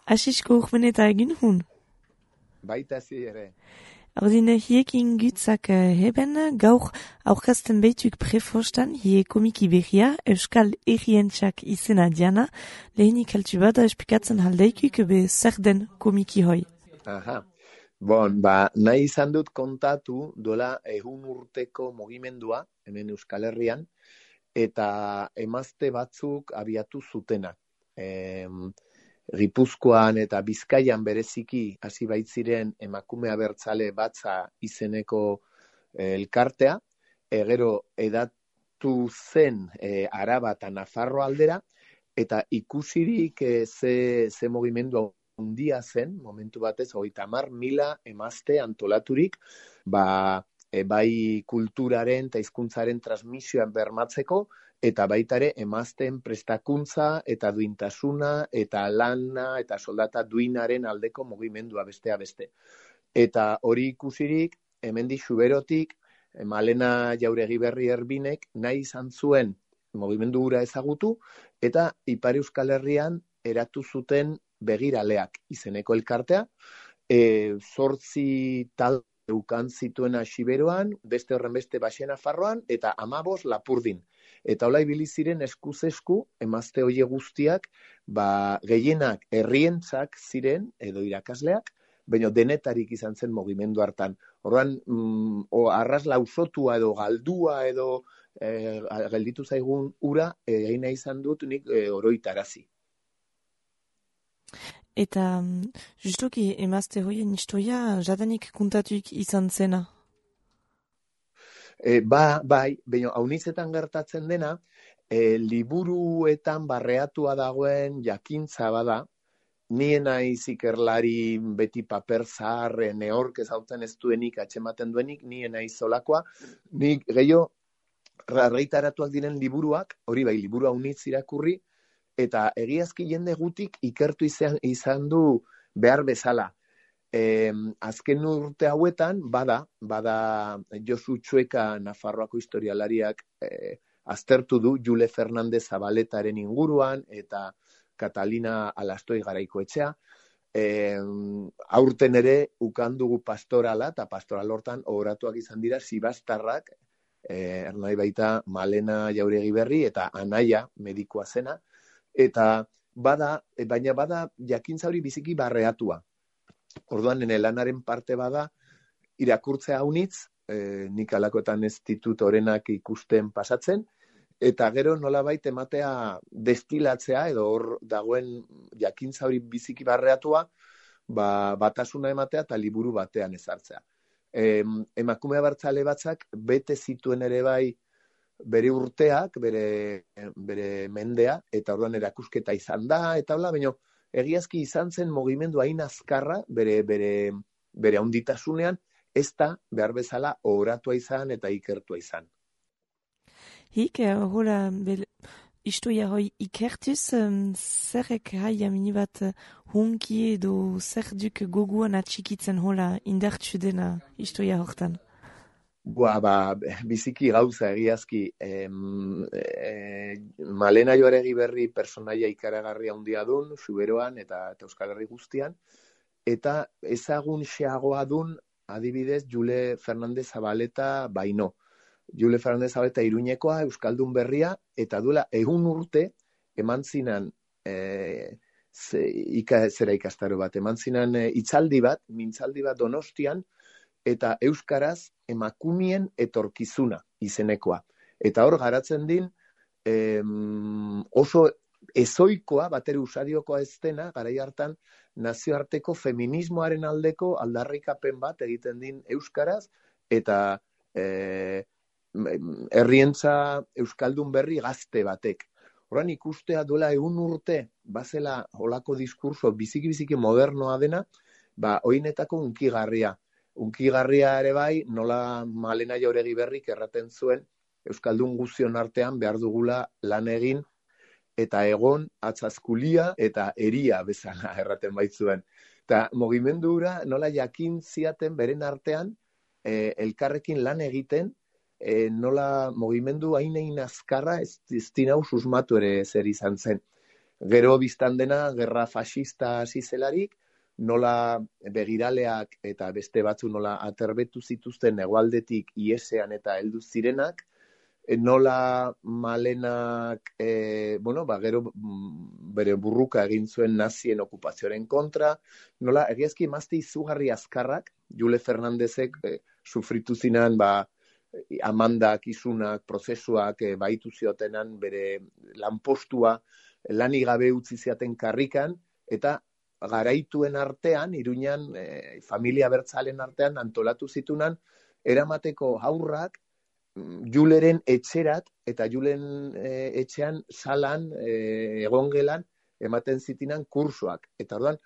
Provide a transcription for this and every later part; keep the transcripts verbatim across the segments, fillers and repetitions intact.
Asisko urmeneta egin hun? Baita zi ere. Ordine hiekin gutzak heben, gaur aurkazten beituk prefostan, hie komiki berria, Euskal Herrientxak izena diana, lehenik altu bada espikatzen haldeikuk be zer den komiki hoi. Aha. Bon, ba, nahi izan dut kontatu duela egun urteko mugimendua, hemen Euskal Herrian, eta emazte batzuk abiatu zutena. E, Gipuzkoan eta Bizkaian bereziki hasi baitziren emakume abertzale batza izeneko e, elkartea, e, gero edatu zen e, Araba eta Nafarro aldera, eta ikusirik e, ze, ze mugimendu handia zen, momentu batez, hogeita hamar mila emazte antolaturik, ba, e, bai kulturaren eta hizkuntzaren transmisioan bermatzeko, eta baita ere emazteen prestakuntza eta duintasuna eta lana eta soldata duinaren aldeko mugimendua bestea beste. Eta hori ikusirik, hemendik Xuberotik, Malena Jauregiberri Erbinek nahi izan zuen mugimendu hura ezagutu, eta Ipar Euskal Herrian eratu zuten Begiraleak izeneko elkartea, e, zortzi tal eukan zituena Xiberoan, beste horren beste Baxe Nafarroan, eta amabos Lapurdin. Eta hola ibili ziren eskuz esku, emazte hoie guztiak, ba, gehienak herrientzak ziren, edo irakasleak, baina denetarik izan zen mugimendu hartan. Orduan, mm, o, arras lausotua edo galdua edo e, gelditu zaigun ura, egin nahi izan dut nik e, oroitarazi. Eta, justuki emazte hoien istoia, jadanik kuntatuik izan zena? E, ba, bai, baina haunizetan gertatzen dena, e, liburuetan barreatua dagoen jakintza bada, nien naiz ikerlari beti paper zaharre, neork ezautzen ez duenik, atxematen duenik, nien naiz zolakoa, nik gehiago argitaratuak diren liburuak, hori bai, liburu haunitz irakurri, eta egiazki jende gutik ikertu izan, izan du behar bezala. E, azken urte hauetan, bada, bada Josu Txueka Nafarroako historialariak e, aztertu du Jule Fernandez Zabaletaren inguruan eta Catalina Alastoi Garaikoetxea. E, aurten ere ukandugu pastorala, eta pastoral hortan oratuak izan dira Sibastarrak, e, ernai baita Malena Jauregiberri eta Anaia medikua zena, eta bada, baina bada jakintza hori biziki barreatua. Orduan, nene lanaren parte bada, irakurtzea haunitz, e, nik alakoetan ez ditut orenak ikusten pasatzen, eta gero nolabait ematea destilatzea, edo hor dagoen jakintza hori biziki barreatua, ba, batasuna ematea eta liburu batean ezartzea. E, emakume abertzale batzak bete zituen ere bai bere urteak, bere, bere mendea, eta orduan erakusketa izan da, eta hola, baina egiazki izan zen mugimendu hain azkarra, bere, bere, bere handitasunean, ez da behar bezala oratua izan eta ikertua izan. Hik, hola, istoia hoi ikertuz, um, zerrek haia minibat hunki edo zer duk goguan atxikitzen hola indartsu dena istoia hortan? Boa, ba, biziki gauza egiazki, em, e, Malena Jauregiberri personaia ikaragarria handia dun, Xuberoan eta, eta Euskal Herri guztian, eta ezagun xeagoa dun, adibidez, Jule Fernandez Zabaleta baino. Jule Fernandez Zabaleta Iruñekoa, Euskaldun berria, eta duela egun urte, eman zinan, e, ze, ika, zera ikastaro bat, eman zinan e, itzaldi bat, mintzaldi bat Donostian, eta euskaraz emakumien etorkizuna izenekoa. Eta hor garatzen din em, oso ezoikoa, batere usadiokoa ez dena, garai hartan nazioarteko feminismoaren aldeko aldarrikapen bat egiten din euskaraz, eta e, herrientza euskaldun berri gazte batek. Horan ikustea duela egun urte, bazela holako diskurso biziki-biziki modernoa dena, ba, oinetako unkigarria. Unkigarria ere bai, nola Malena Jauregiberrik erraten zuen euskaldun guztion artean behar dugula lan egin eta egon atzazkulia eta eria bezala erraten baitzuen. Eta mugimendu hura nola jakin ziaten beren artean e, elkarrekin lan egiten, e, nola mugimendu hain egin azkarra ez, ez dinau susmatu ere zer izan zen. Gero biztan dena, gerra fascista hasi zelarik, nola begiraleak eta beste batzu nola aterbetu zituzten hegoaldetik iesean eta heldu zirenak, nola Malenak, e, bueno, ba, gero bere burruka egin zuen nazien okupazioaren kontra, nola egiazki emazte izugarri azkarrak, Jule Fernandezek e, sufritu zinan, ba, amandak, isunak, prozesuak e, baitu ziotenan bere lanpostua, lanik gabe utzi ziaten karrikan, eta garaituen artean, Iruñan, e, familia bertzalen artean, antolatu zitunan, eramateko haurrak, Juleren etxerat, eta Julen e, etxean salan, e, egongelan, ematen zitinan kursoak. Eta orduan,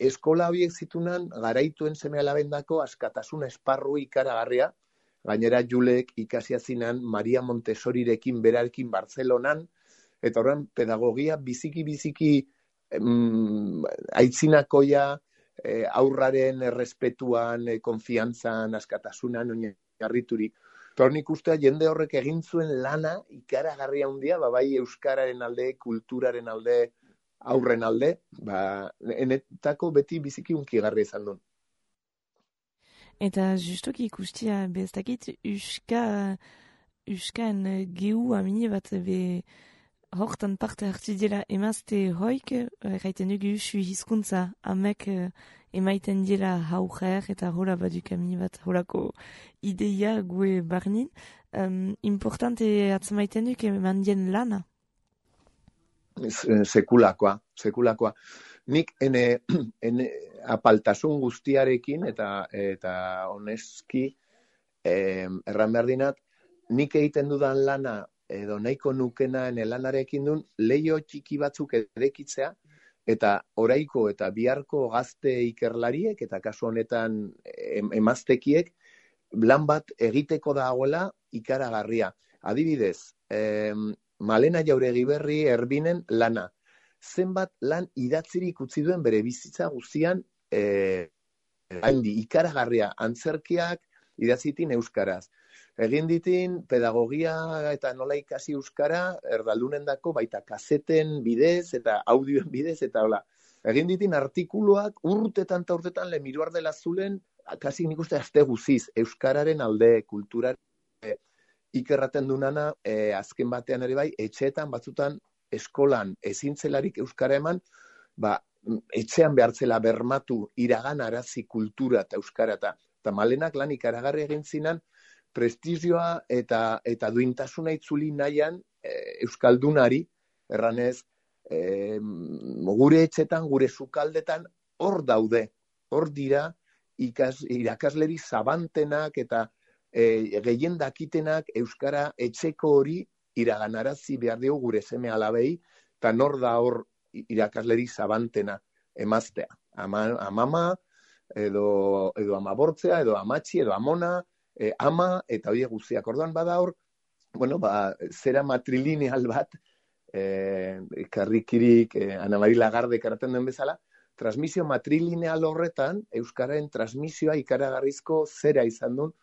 eskola horiek zitunan, garaituen seme alabendako askatasun esparru ikaragarria, gainera Julek ikasia zinan Maria Montessorirekin berarekin Bartzelonan, eta orduan, pedagogia biziki-biziki em, aitzinakoia, e, aurraren errespetuan, e, konfiantzan, askatasunan, oinarriturik. Nik ustea jende horrek egin zuen lana ikaragarria handia, ba, bai euskararen alde, kulturaren alde, aurren alde, ba, enetako beti biziki unkigarria izan duen. Eta justuki ikustia bestakit uska uskan gehu amine bat be hortan parte hartu dela emazte hoik, gaiten dugu usu hizkuntza amek emaiten dela haujer eta hola baduk amine bat holako ideia gue barnin. Um, importante atzamaiten duk eman dien lana? Sekulakoa, sekulakoa. Nik ene, ene apaltasun guztiarekin eta eta honeski eh, erran behar dinat, nik egiten dudan lana edo nahiko nukena ene lanarekin duen leio txiki batzuk edekitzea eta oraiko eta biharko gazte ikerlariek eta kasu honetan em, emaztekiek lan bat egiteko dagoela ikaragarria. Adibidez, em, Malena Jauregi Berri Erbinen lana. Zenbat lan idatzirik utzi duen bere bizitza guztian eh, haindi ikaragarria antzerkiak idatzitin euskaraz. Egin ditin pedagogia eta nola ikasi euskara erdaldunendako baita kaseten bidez eta audioen bidez eta hola. Egin ditin artikuluak urtetan eta urtetan lemiruar dela zulen, kasi nik uste azte guziz, euskararen alde, kulturaren e, ikerraten dunana, e, azken batean ere bai, etxeetan batzutan eskolan ezintzelarik euskara eman, ba, etxean behartzela bermatu iragan arazi kultura eta euskara eta, eta Malenak lan ikaragarri egin zinan, prestigioa eta eta duintasuna itzuli nahian e, euskaldunari, erranez, e, gure etxetan, gure sukaldetan hor daude, hor dira ikas, irakasleri zabantenak eta e, gehien dakitenak euskara etxeko hori iraganarazi behar dugu gure seme alabei, eta nor da hor irakasleri zabantena emaztea. Ama, amama, edo, edo amabortzea, edo amatxi, edo amona, E, ama eta horiek guztiak. Orduan bada hor, bueno, ba, zera matrilineal bat, e, karrikirik, e, Ana Mari Lagarde karaten den bezala, transmisio matrilineal horretan, euskararen transmisioa ikaragarrizko zera izan duen,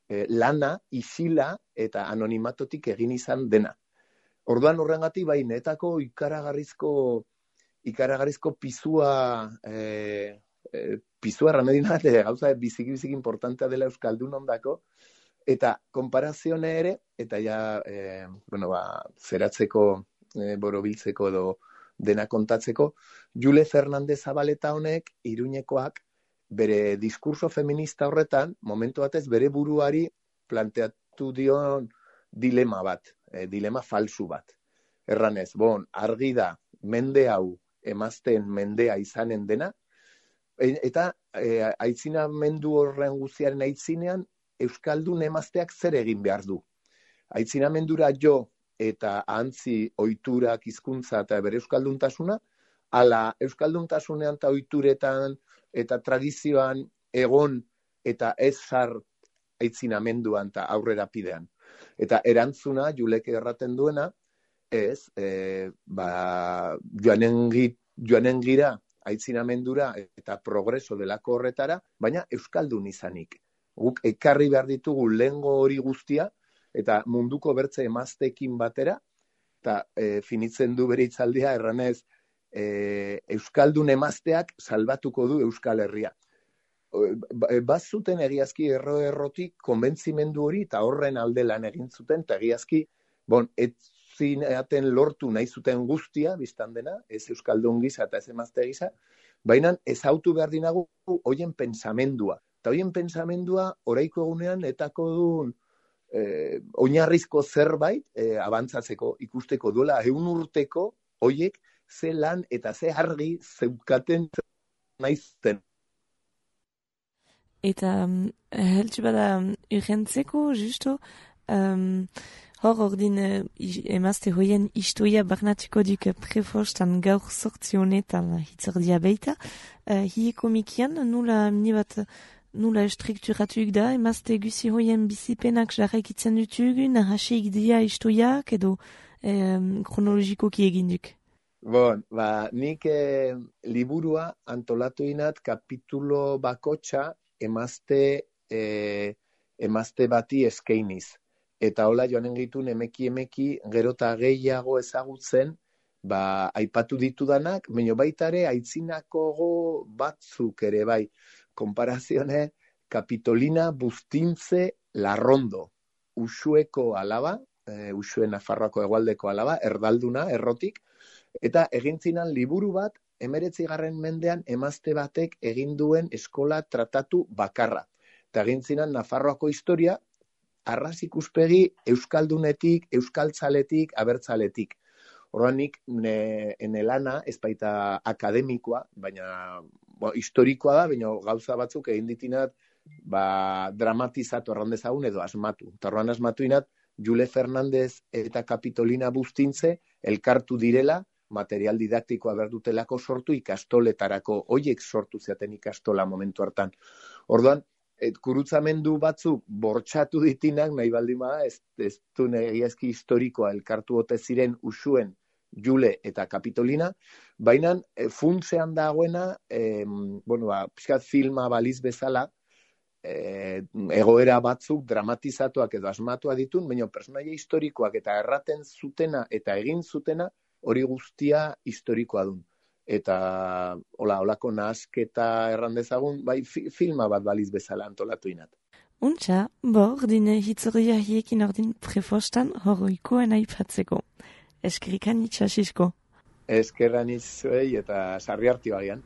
e, lana, isila eta anonimatotik egin izan dena. Orduan horrengatik bai netako ikaragarrizko ikaragarrizko pizua e, e, pizua ramedina eta gauza biziki-biziki importantea dela euskaldun ondako, eta konparazione ere, eta ja, e, bueno, ba, zeratzeko, e, borobiltzeko edo dena kontatzeko, Jule Fernandez Zabaleta honek, Iruñekoak, bere diskurso feminista horretan, momentu batez bere buruari planteatu dion dilema bat, e, dilema falsu bat. Erranez, bon, argi da, mende hau, emazten mendea izanen dena, eta e, aitzinamendu horren guztiaren aitzinean, euskaldun emazteak zer egin behar du. Aitzinamendura jo eta ahantzi ohiturak hizkuntza eta bere euskalduntasuna, ala euskalduntasunean eta ohituretan eta tradizioan egon eta ez sar aitzinamenduan eta aurrera pidean. Eta erantzuna, Julek erraten duena, ez, e, ba, joanen, joanen gira aitzinamendura eta progreso delako horretara, baina euskaldun izanik. Guk ekarri behar ditugu lehengo hori guztia, eta munduko bertze emazteekin batera, eta e, finitzen du bere hitzaldia erranez, e, Euskaldun emazteak salbatuko du Euskal Herria. Bat zuten egiazki erro-errotik konbentzimendu hori eta horren alde lan egin zuten, eta egiazki, bon, ez zineaten lortu nahi zuten guztia, biztan dena, ez Euskaldun gisa eta ez emazte gisa, baina ezautu behar dinagu hoien pensamendua. Eta hoien pensamendua oraiko egunean etako duen eh, oinarrizko zerbait eh, abantzatzeko, ikusteko duela egun urteko hoiek ze lan eta ze argi zeukaten nahi zuten. Eta um, heltsu bada um, urgentzeko, justo, um, hor ordin uh, emazte hoien istoia barnatiko duk prefostan gaur sortzi honetan hitzordia beita. Uh, Hie komikian, nula mini bat nula estrukturatuk da, emazte guzi hoien bizipenak jarraikitzen dutugu, nahasik dia istoiak edo um, kronologikoki egin duk. Bon, ba, nik eh, liburua antolatu inat kapitulo bakotxa emazte, eh, emazte bati eskainiz. Eta hola joanen gitun emeki emeki gero eta gehiago ezagutzen, ba, aipatu ditudanak, baina baita ere aitzinako batzuk ere bai. Konparazione, Kapitolina Bustintze Larrondo, Usueko alaba, e, Usue Nafarroako hegoaldeko alaba, erdalduna, errotik, eta egintzinan liburu bat, emeretzigarren mendean emazte batek egin duen eskola tratatu bakarra. Eta egintzinan Nafarroako historia, arras ikuspegi euskaldunetik, euskaltzaletik, abertzaletik. Horren nik, ene lana, ez baita akademikoa, baina bo, historikoa da, baina gauza batzuk egin ditinat ba, dramatizatu errandezagun edo asmatu. Eta horren asmatu inat, Jule Fernandez eta Kapitolina Bustintze elkartu direla, material didaktikoa berdutelako sortu ikastoletarako, hoiek sortu zeaten ikastola momentu hartan. Orduan, et, kurutzamendu batzuk bortxatu ditinak, nahi baldin bada, ez, ez du egiazki historikoa elkartu ote ziren Usuen, Jule eta Kapitolina, baina e, funtzean dagoena, e, bueno, ba, pixkat filma baliz bezala, e, egoera batzuk dramatizatuak edo asmatua ditun, baina personaia historikoak eta erraten zutena eta egin zutena, hori guztia historikoa dun. Eta hola, holako nahasketa errandezagun, bai fi, filma bat baliz bezala antolatu inat. Untxa, bo, ordin hitzoria hiekin ordin prefostan horoikoen aipatzeko. Eskerikan itxasisko. Eskerran itzuei eta sarri harti bagian.